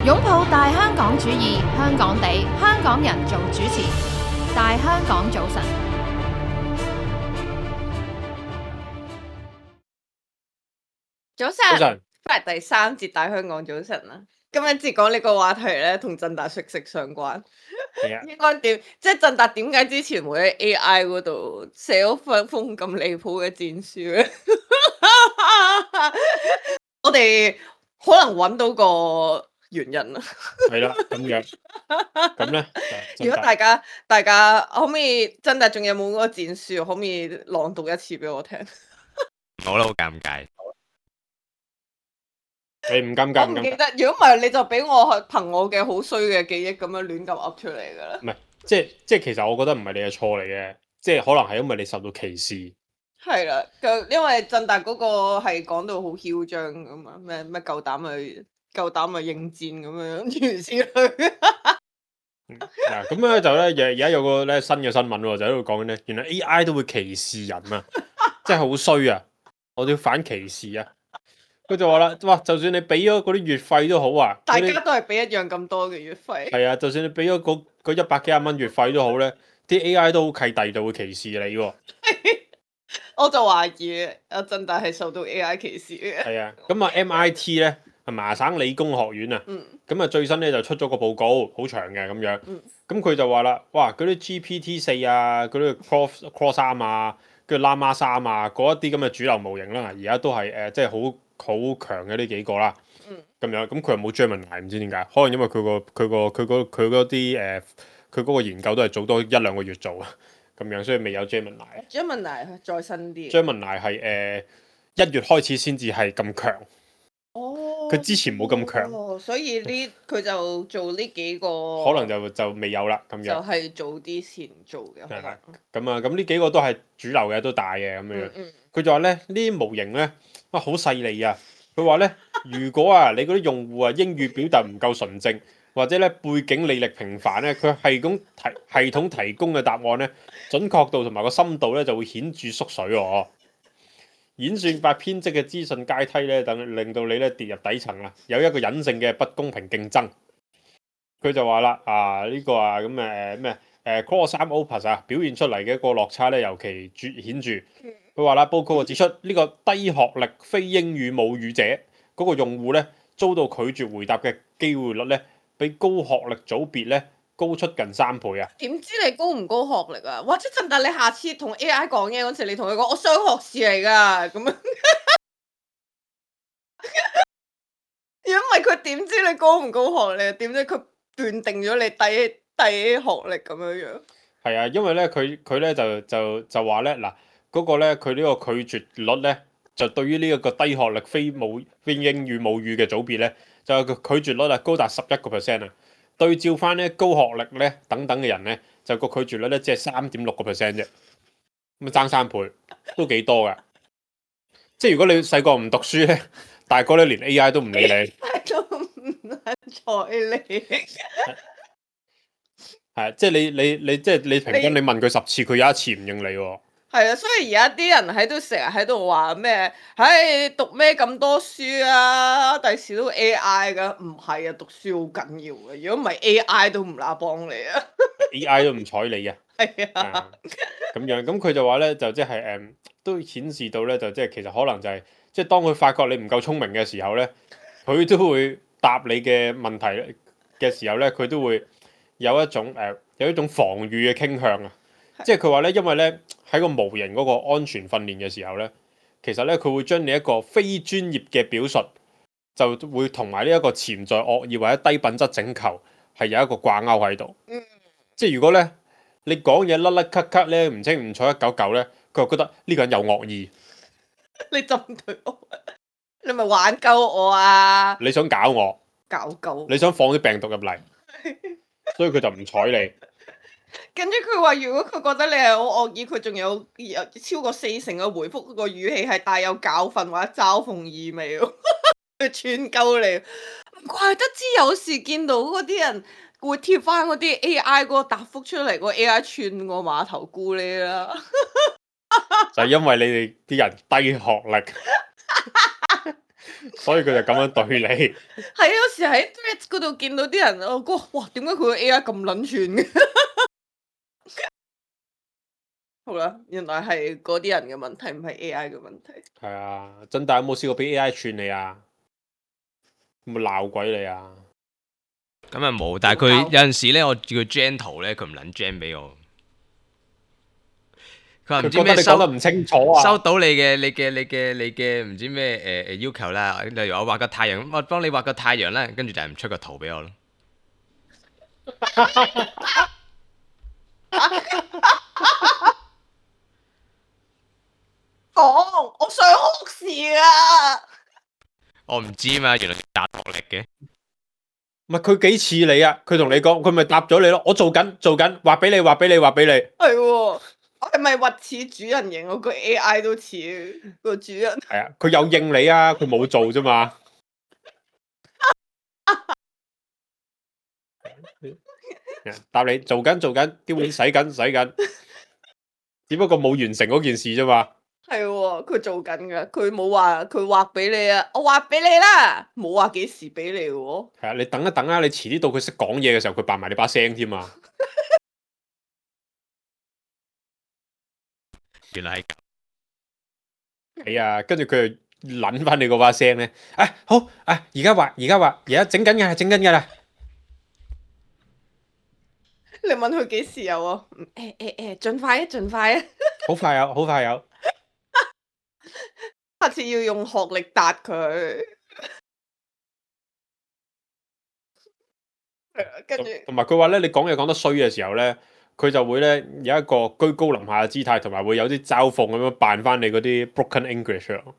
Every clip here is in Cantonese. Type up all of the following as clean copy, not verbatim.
擁抱大香港主義，香港地，香港人做主持。大香港早晨，早晨，翻嚟第三節大香港早晨啦。今一節講呢個話題咧，同振達息息相關。應該點？即係振達點解之前會喺 AI 嗰度寫咗封咁離譜嘅戰書咧？我哋可能揾到個原因啦。係啦，咁樣咁咧，如果大家可唔可以振達仲有冇嗰個戰書？可唔可以朗讀一次俾我聽？我覺得好尷尬。你唔尷尬？我唔記得。如果唔係，你就俾我憑我嘅好衰嘅記憶咁樣亂咁噏出嚟㗎啦。唔係，即係其實我覺得唔係你嘅錯嚟嘅，即係可能係因為你受到歧視。係啦，因為振達嗰個係講到好囂張咁嘛，咩夠膽去應戰咁樣，諸如此類。嗱，咁咧就咧而家有個咧新嘅新聞喎，就喺度講緊咧，原來 AI 都會歧視人啊，真係好衰啊！我哋要反歧視啊！佢就話啦，哇，就算你俾咗嗰啲月費都好啊，大家都係俾一樣咁多嘅月費。係啊，就算你俾咗嗰100幾廿蚊月費都好咧，啲 AI 都好契弟就會歧視你喎。我就懷疑阿振達係受到 AI 歧視嘅。係啊，咁啊 MIT 咧係麻省理工學院啊，咁啊最新咧就出咗個報告，好長嘅咁樣，咁佢就話啦，哇嗰啲 GPT4啊，嗰啲 Claude 3啊，跟住 Llama 3啊，嗰一啲咁嘅主流模型啦，而家都係即係好強嘅呢幾個啦，咁樣，咁佢又冇 Gemini，唔知點解，可能因為佢嗰啲佢嗰個研究都係早多1-2個月做啊。咁樣，所以未有 Gemini。Gemini 再新啲。Gemini 係1月開始先至係咁強。哦。佢之前冇咁強。所以佢就做呢幾個。可能就未有啦，咁樣。就係早啲先做嘅。係啦。咁啊，咁呢幾個都係主流嘅，都大嘅咁樣。佢就話咧，呢啲模型咧，哇好細膩啊！佢話咧，如果啊你嗰啲用戶啊英語表達唔夠純正，或者咧背景履歷平凡咧，佢系統提供嘅答案咧，準確度同埋個深度咧就會顯著縮水喎。演算法編織嘅資訊階梯咧，令到你咧跌入底層啦，有一個隱性嘅不公平競爭。佢就話啦，呢個啊咁咩Claude 3 Opus 啊表現出嚟嘅一個落差咧，尤其顯著。佢話啦，報告指出呢個低學歷非英語母語者嗰個用戶咧，遭到拒絕回答嘅機會率咧，比高學歷組別咧高出近3倍啊！點知你高唔高學歷啊？或者振達你下次同 AI 講嘢嗰時，你同佢講我雙學士嚟㗎咁樣。如果唔係佢點知你高唔高學歷？點知佢斷定咗你低學歷咁樣樣？係啊，因為咧佢咧就話咧嗱，嗰個咧佢呢個拒絕率咧，就對於呢一個低學歷非英語母語嘅組別咧，就個拒絕率啊高達11%啊。對照翻咧高學歷咧等等嘅人咧，就個拒絕率咧只係3.6%啫，咁爭3倍都幾多噶。即係如果你細個唔讀書咧，大個咧連 AI 都唔理你，都唔睬你。係即係你即係你平均你問佢10次，佢有1次唔應你喎。係啊，所以而家啲人成日喺度話咩？唉，讀咩咁多書啊？第時都 AI 噶，唔係啊，讀書好緊要嘅。如果唔係 AI 都唔乸幫你啊。AI 都唔睬你啊。係啊。咁樣，咁佢就話咧，就即係都顯示到咧，就即係其實可能就係即係當佢發覺你唔夠聰明嘅時候咧，佢都會答你嘅問題嘅時候咧，佢都會有一種防禦嘅傾向啊。即係佢話咧，因為咧喺個模型嗰個安全訓練嘅時候咧，其實咧佢會將你一個非專業嘅表述，就會同埋呢一個潛在惡意或者低品質請求係有一個掛鈎喺度。即係如果咧你講嘢甩甩咳咳咧，唔清唔楚199咧，佢就覺得呢個人有惡意。你針對我，你咪玩鳩我啊！你想搞我？搞鳩？你想放啲病毒入嚟，所以佢就唔睬你。跟住佢話，如果佢覺得你係好惡意，佢仲有超過40%嘅回覆個語氣係帶有教訓或者嘲諷意味，佢串鳩你。唔怪得知有時見到嗰啲人會貼翻嗰啲 AI 嗰個答覆出嚟，個 AI 串個碼頭菇呢啦。就係因為你哋啲人低學歷，所以佢就咁樣對你。係啊，有時喺 Threads 嗰度見到啲人，我覺得哇，點解佢個 AI 咁撚串嘅？好啦，原來係嗰啲人嘅問題，唔係 AI 嘅問題。係啊，真大有冇試過俾 AI 串你啊？有冇鬧鬼你啊？咁啊冇，但係佢有陣時咧，我叫佢 gen 圖咧，佢唔撚 gen 俾我。佢話唔知覺得咩你講得唔清楚啊！收到你嘅唔知咩要求啦，例如我畫個太陽，我幫你畫個太陽啦，跟住就係唔出個圖俾我咯。講，我想學時啊！我唔知嘛，原來答學歷嘅。唔係佢幾似你啊？佢同你講，佢咪答咗你咯。我做緊，畫俾你，畫俾你，畫俾你。係喎，我係咪核似主人形？我個 AI 都似個主人。係啊，佢有應你啊，佢冇做啫嘛。答你做緊，啲碗洗緊，只不過冇完成嗰件事啫嘛。係喎，佢做緊噶，佢冇話佢畫俾你啊，我畫俾你啦，冇話幾時俾你喎。係啊，你等一等啦，你遲啲到佢識講嘢嘅時候，佢扮埋你把聲添啊。原來係咁。係啊，跟住佢就撚翻你嗰把聲咧。好啊，而家畫，而家整緊㗎啦。你問佢幾時有啊？盡快啊，盡快啊！好快有。下次要用學歷答佢。跟住同埋佢話咧，你講嘢講得衰嘅時候咧，佢就會咧有一個居高臨下嘅姿態，同埋會有啲嘲諷咁樣扮翻你嗰啲 broken English 咯。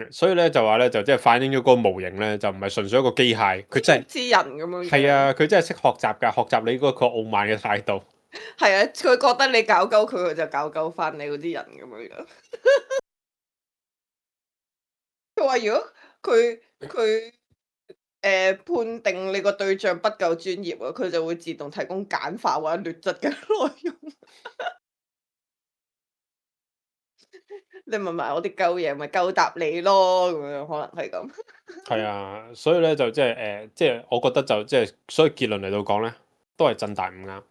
所以咧就話咧就即係反映咗嗰個模型咧就唔係純粹一個機械，佢真係知人咁樣。係啊，佢真係識學習㗎，學習你嗰個傲慢嘅態度。係啊，佢覺得你搞鳩佢，佢就搞鳩翻你嗰啲人咁樣。佢話如果佢判定你個對象不夠專業啊，佢就會自動提供簡化或者劣質嘅內容。你問埋我啲鳩嘢，咪鳩答你咯，咁樣可能係咁。係啊，所以咧就即係即係我覺得就即係，所以結論嚟到講咧，都係震大唔啱。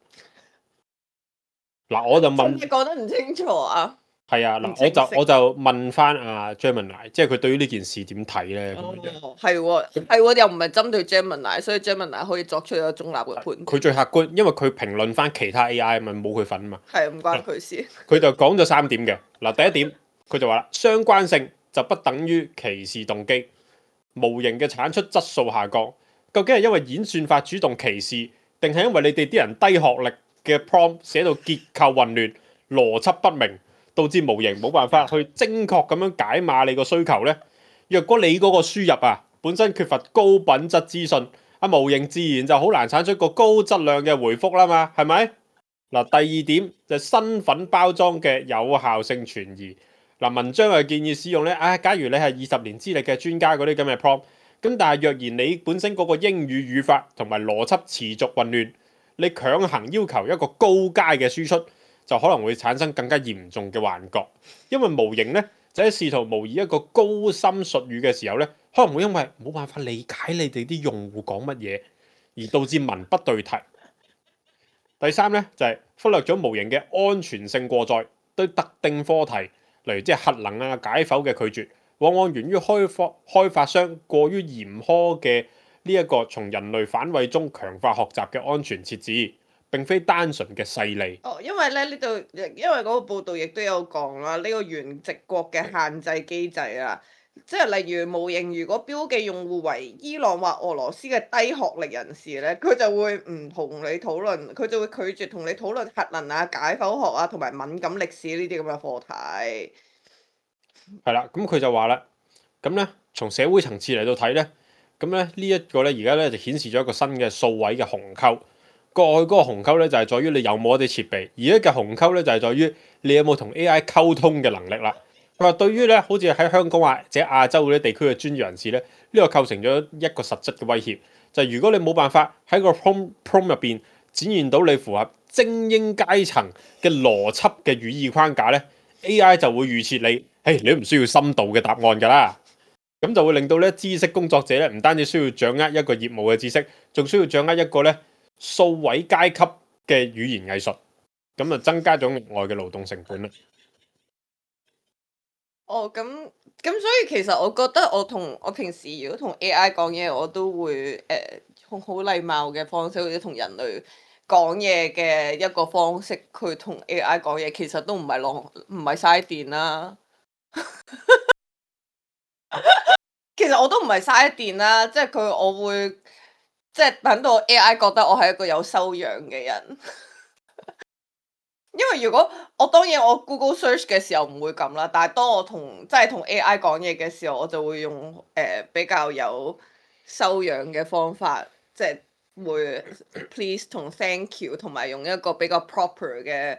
嗱，我就問，你講得唔清楚啊？係啊，嗱，我就問翻阿 Gemini，即係佢對於呢件事點睇咧？咁樣哦，係喎，又唔係針對 Gemini，所以 Gemini 可以作出一個中立嘅判斷。佢最客觀，因為佢評論翻其他 AI 咪冇佢份啊嘛。係唔關佢事。佢就講咗3點嘅。嗱，第一點佢就話啦，相關性就不等於歧視動機，模型嘅產出質素下降，究竟係因為演算法主動歧視，定係因為你哋啲人低學歷嘅 prompt 寫到結構混亂、邏輯不明，導致模型冇辦法去精確咁樣解碼你個需求呢？若果你嗰個輸入啊本身缺乏高品質資訊，模型自然就好難產出個高質量嘅回覆啦嘛，係咪？嗱，第二點就係身份包裝嘅有效性存疑。嗱，文章係建議使用咧，假如你係20年資歷嘅專家嗰啲咁嘅 prompt，咁但係若然你本身嗰個英語語法同埋邏輯持續混亂，你強行要求一個高階嘅輸出，就可能會產生更加嚴重嘅幻覺，因為模型咧就喺試圖模擬一個高深術語嘅時候咧，可能會因為冇辦法理解你哋啲用戶講乜嘢，而導致文不對題。第三咧就係忽略咗模型嘅安全性過載，對特定課題，例如即係核能啊解剖嘅拒絕，往往源於開發商過於嚴苛嘅呢一個從人類反胃中強化學習嘅安全設置，並非單純嘅勢利。哦，因為咧呢度，因為嗰個報道亦都有講啦，呢個原籍國嘅限制機制啊，即係例如模型如果標記用戶為伊朗或俄羅斯嘅低學歷人士咧，佢就會唔同你討論，佢就會拒絕同你討論核能啊、解剖學啊同埋敏感歷史呢啲咁嘅課題。係啦，咁佢就話啦，咁咧從社會層次嚟到睇咧，咁咧呢一個咧而家咧就顯示咗一個新嘅數位嘅鴻溝。過去嗰個鴻溝咧就係在於你有冇一啲設備，而家嘅鴻溝咧就係在於你有冇同 AI 溝通嘅能力啦。佢話對於咧好似喺香港或者亞洲嗰啲地區嘅專業人士咧，呢個構成咗一個實質嘅威脅，就係如果你冇辦法喺個 prompt 入邊展現到你符合精英階層嘅邏輯嘅語義框架咧 AI 就會預設你，你都唔需要深度嘅答案㗎啦。咁就會令到咧知識工作者咧唔單止需要掌握一個業務嘅知識，仲需要掌握一個咧數位階級嘅語言藝術，咁啊增加咗額外嘅勞動成本啦。哦，咁所以其實我覺得我平時如果同 AI 講嘢，我都會用好禮貌嘅方式，或者同人類講嘢嘅一個方式，去同 AI 講嘢，其實都唔係嘥電啦。其實我都唔係嘥電啦，即係我會即係等到 AI 覺得我係一個有修養嘅人。因為如果當然我 Google search 嘅時候唔會咁啦，但係當我同 AI 講嘢嘅時候，我就會用比較有修養嘅方法，即係會 please 同 thank you，同埋用一個比較 proper 嘅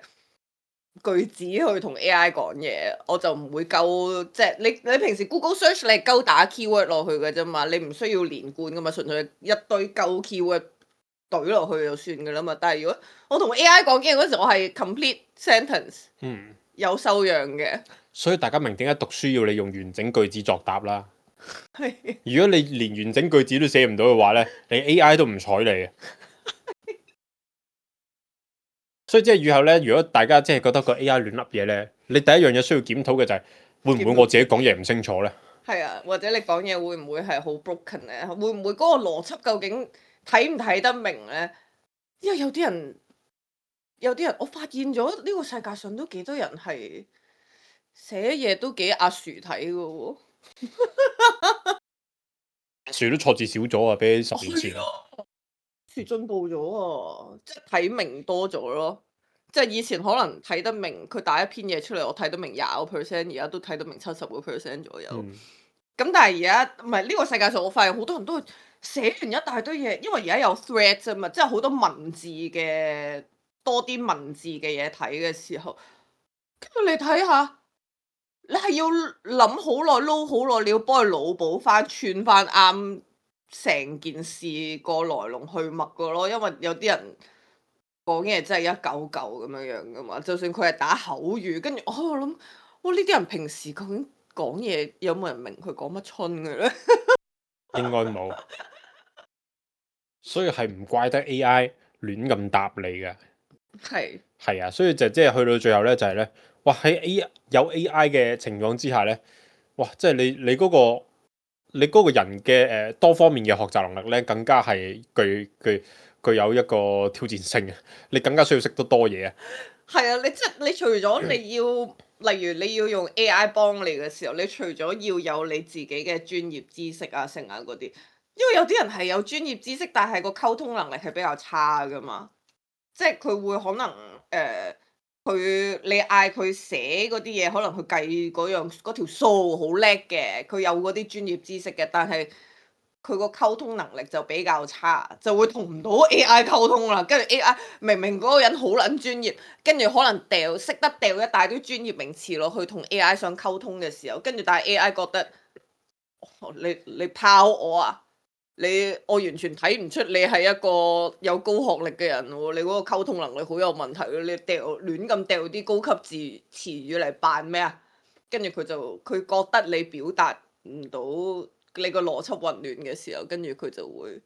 句子去同 AI 講嘢，我就唔會鳩即係你平時 Google search 你係鳩打 keyword 落去嘅啫嘛，你唔需要連貫噶嘛，純粹一堆鳩 keyword。懟落去就算噶啦嘛，但係如果我同 AI 講嘢嗰時，我係 complete sentence，有修養嘅。所以大家明點解讀書要你用完整句子作答啦？如果你連完整句子都寫唔到嘅話咧，你 AI 都唔睬你嘅。所以即係以後咧，如果大家即係覺得個 AI 亂噏嘢咧，你第一樣嘢需要檢討嘅就係會唔會我自己講嘢唔清楚咧？係啊，或者你講嘢會唔會係好 broken 咧？會唔會嗰個邏輯究竟睇唔睇得明咧？因為有啲人，我發現咗呢個世界上都幾多人係寫嘢都幾阿薯睇嘅喎。樹都錯字少咗啊，比起10年前。樹進步咗啊，即係睇明多咗咯。即係以前可能睇得明，佢打一篇嘢出嚟，我睇得明20%，而家都睇得明70% 左右。咁但係而家唔係呢個世界上，我發現好多人都會寫完一大堆嘢，因為而家有 thread 啫嘛，即係好多文字嘅多啲文字嘅嘢睇嘅時候，跟住你睇下，你係要諗好耐、撈好耐，你要幫佢腦補翻、串翻啱成件事個來龍去脈個咯，因為有啲人講嘢真係一嚿嚿咁樣樣噶嘛，就算佢係打口語，跟住我諗，哇呢啲人平時究竟講嘢有冇人明佢講乜春嘅咧？應該冇，所以係唔怪得 AI 亂咁答你嘅。係啊，所以即係去到最後咧，就係咧，哇喺有 AI 嘅情況之下咧，哇即係你嗰個人嘅多方面嘅學習能力咧，更加係具有一個挑戰性嘅，你更加需要識得多嘢啊。係啊，你除咗你要，例如你要用 AI 幫你嘅時候，你除咗要有你自己嘅專業知識啊、成啊嗰啲，因為有啲人係有專業知識，但係個溝通能力係比較差噶嘛，即係佢會可能你嗌佢寫嗰啲嘢，可能佢計嗰條數好叻嘅，佢有嗰啲專業知識嘅，但係佢個溝通能力就比較差，就會同唔到 AI 溝通啦。跟住 AI 明明嗰個人好撚專業，跟住可能識得掉一大堆專業名詞落去同 AI 想溝通嘅時候，跟住但係 AI 覺得你拋我啊！我完全睇唔出你係一個有高學歷嘅人喎，你嗰個溝通能力好有問題，你亂咁掉啲高級詞語嚟扮咩啊？跟住佢覺得你表達唔到你個邏輯混亂嘅時候，跟住佢就會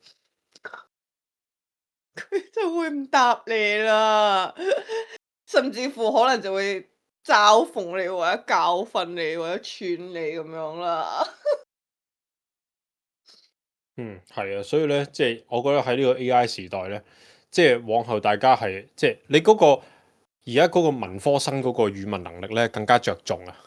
唔答你啦，甚至乎可能就會嘲諷你或者教訓你或者串你咁樣啦。係啊，所以咧，即係我覺得喺呢個 AI 時代咧，即係往後大家係即係你嗰個而家嗰個文科生嗰個語文能力咧更加着重啊！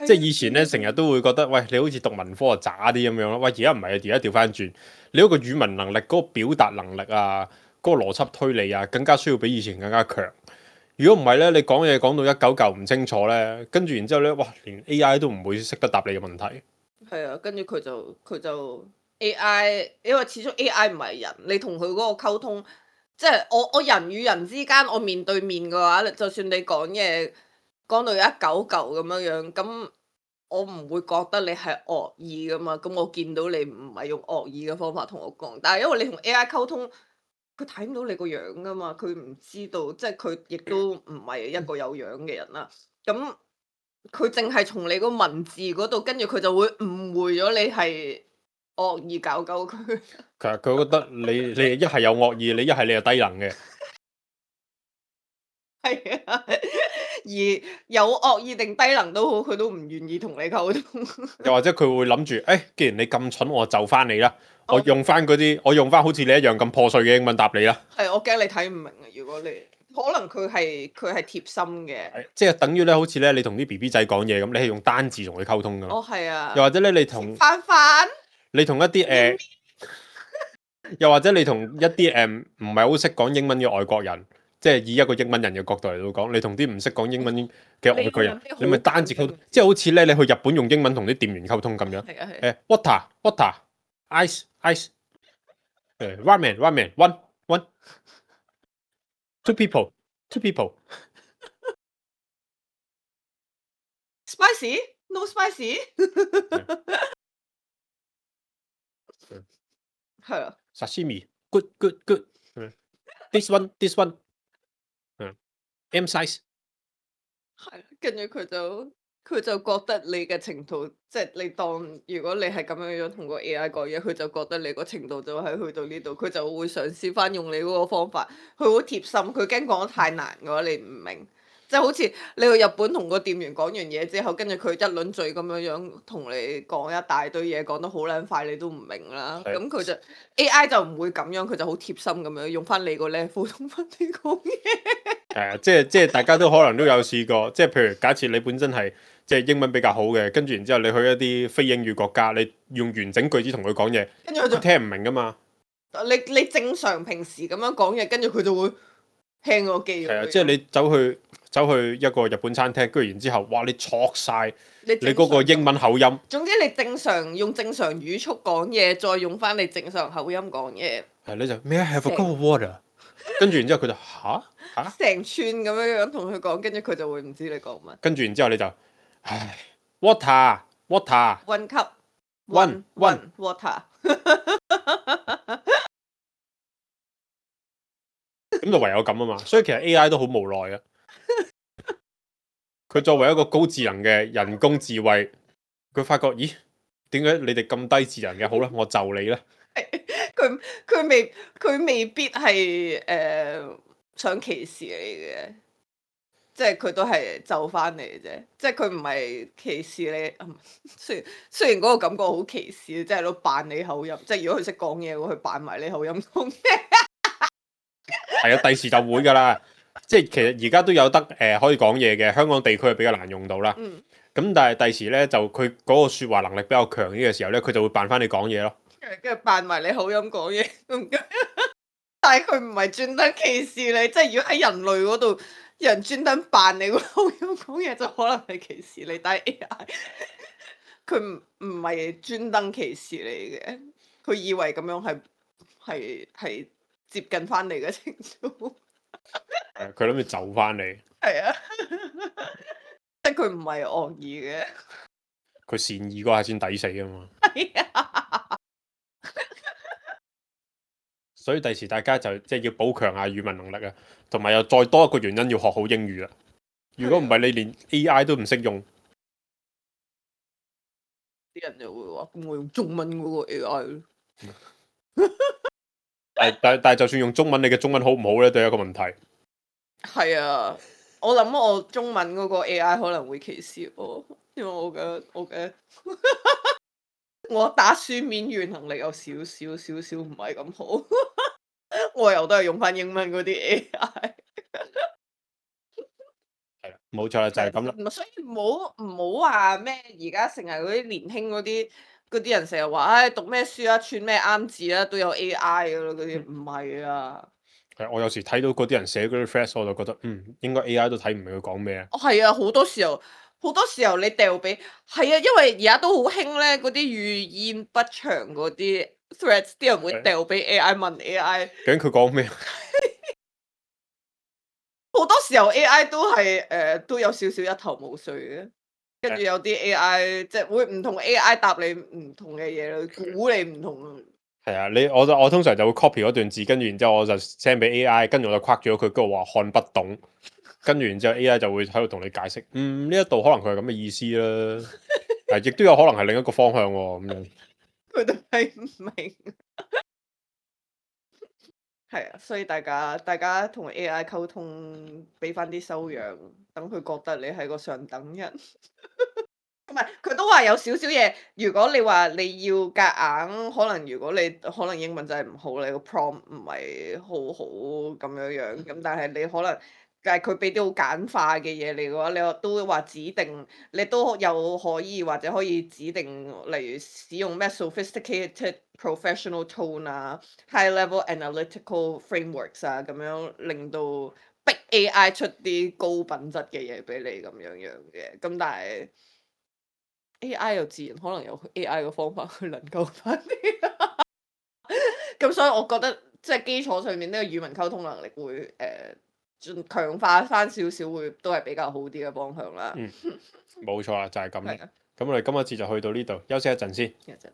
即係以前咧成日都會覺得，喂，你好似讀文科啊渣啲咁樣咯，喂，而家唔係啊，而家調翻轉，你嗰個語文能力、嗰個表達能力啊、嗰個邏輯推理啊，更加需要比以前更加強。如果唔係咧，你講嘢講到一九嚿唔清楚咧，跟住然之後咧，哇，連 AI 都唔會識得答你嘅問題。係啊，跟住佢就 AI，因為始終 AI 唔係人，你同佢嗰個溝通，即係我人與人之間，我面對面嘅話，就算你講嘢講到一嚿嚿咁樣樣，咁我唔會覺得你係惡意噶嘛，咁我見到你唔係用惡意嘅方法同我講，但係因為你同 AI 溝通，佢睇唔到你個樣噶嘛，佢唔知道，即係佢亦都唔係一個有樣嘅人啦，咁佢淨係從你個文字嗰度，跟住佢就會誤會咗你係惡意搞鳩佢。佢覺得你一係有惡意，你一係你係低能嘅。係啊，而有惡意定低能都好，佢都唔願意同你溝通。又或者佢會諗住，既然你咁蠢，我就翻你啦。我用翻好似你一樣咁破碎嘅英文答你啦。係，我驚你睇唔明啊！如果你可能佢係貼心嘅，即係等於咧，好似咧你同啲 BB 仔講嘢咁，你係用單字同佢溝通噶嘛。哦，係啊。又或者咧，你同飯，你同一啲又或者你同一啲唔係好識講英文嘅外國人，即係以一個英文人嘅角度嚟到講，你同啲唔識講英文嘅外國人，你咪單字溝通，即係好似咧你去日本用英文同啲店員溝通咁樣。係啊係。water ice ramen one two people spicy no spicy。係啊。sashimi good this one M size。係，跟住佢就覺得你嘅程度，即係你當如果你係咁樣樣同個 AI 講嘢，佢就覺得你個程度就係去到呢度，佢就會嘗試翻用你嗰個方法，佢好貼心，佢驚講得太難嘅話你唔明，即係好似你去日本同個店員講完嘢之後，跟住佢一輪嘴咁樣樣同你講一大堆嘢，講得好撚快，你都唔明啦。咁佢就 AI 就唔會咁樣，佢就好貼心咁樣用翻你個 level 同翻你講嘢。即係大家都可能都有試過，即係譬如假設你本身係即係英文比較好嘅，跟住然之後你去一啲非英語國家，你用完整句子同佢講嘢，跟住佢就聽唔明噶嘛。你正常平時咁樣講嘢，跟住佢就會輕個機。係啊，即係你走去一個日本餐廳，跟住然之後，哇！你錯晒你嗰個英文口音。總之你正常用正常語速講嘢，再用翻你正常口音講嘢。係你就 May I have a cup of water？ 跟住然之後佢就嚇成串咁樣同佢講，跟住佢就會唔知你講乜。跟住然之後你就唉 water one cup one water。咁就唯有咁啊嘛，所以其實 AI 都好無奈啊。佢作為一個高智能嘅人工智慧，佢發覺咦，點解你哋咁低智能嘅？好啦，我就你啦。佢未必係想歧視你嘅，即係佢都係就翻你啫。即係佢唔係歧視你。雖然嗰個感覺好歧視，即係喺度扮你口音。即係如果佢識講嘢，佢扮埋你口音講嘢。係啊，第時就會㗎啦。即係其實而家都有得可以講嘢嘅，香港地區係比較難用到啦。咁但係第時咧就佢嗰個説話能力比較強啲嘅時候咧，佢就會扮翻你講嘢咯。跟住扮埋你口音講嘢，但係佢唔係專登歧視你，即係如果喺人類嗰度，有人專登扮你個口音講嘢，就可能係歧視你。但係 AI 佢唔係專登歧視你嘅，佢以為咁樣係接近翻你嘅程度。佢諗住就翻你。係啊，即係佢唔係惡意嘅。佢善意嗰下先抵死啊嘛。係啊。所以第時大家就即係要補強下語文能力啊，同埋又再多一個原因要學好英語啦。如果唔係你連 AI 都唔識用，啲人就會話：咁我用中文嗰個 AI 咯。但係就算用中文，你嘅中文好唔好咧，都係一個問題。係啊，我諗我中文嗰個 AI 可能會歧視我，因為我嘅我打書面語能力有少少唔係咁好。我又都係用翻英文嗰啲 AI。係啦，冇錯啦，就係咁啦。所以唔好話咩，而家成日嗰啲年輕嗰啲人成日話，唉，讀咩書啊，串咩啱字啊，都有 AI 噶咯，嗰啲唔係啊。係，我有時睇到嗰啲人寫嗰啲 phrase，我就覺得應該 AI 都睇唔明佢講咩啊。係啊，好多時候你掉俾係啊，因為而家都好興咧，嗰啲語言不詳嗰啲 threads，啲人會掉俾 AI 問 AI。究竟佢講咩？好多時候 AI 都係都有少少一頭霧水嘅，跟住有啲 AI 即係會唔同 AI 答你唔同嘅嘢咯，估你唔同。係啊，我通常就會 copy 嗰段字，跟住然之後我就 send 俾 AI，跟住我就框住咗佢，跟住話看不懂。跟住然之後 AI 就會喺度同你解釋，呢一度可能佢係咁嘅意思啦，亦都有可能係另一個方向喎咁樣。佢哋睇唔明。係啊，所以大家同 AI 溝通，俾翻啲修養，等佢覺得你係個上等人。唔係，佢都話有少少嘢。如果你話你要夾硬，可能如果你可能英文真係唔好，你個 prompt 唔係好好咁樣，咁但係你可能，但係佢俾啲好簡化嘅嘢你嘅話，你都話指定，你都有可以或者可以指定，例如使用咩 sophisticated professional tone 啊，high level analytical frameworks 啊，咁樣令到逼 AI 出啲高品質嘅嘢俾你咁樣嘅，咁但係。AI 又自然可能有 AI 嘅方法去能夠翻啲，咁所以我覺得即係基礎上面呢個語文溝通能力會盡強化翻少少，會都係比較好啲嘅方向啦。冇錯啦，就係咁。係啊，咁我哋今日節就去到呢度，休息一陣先。其實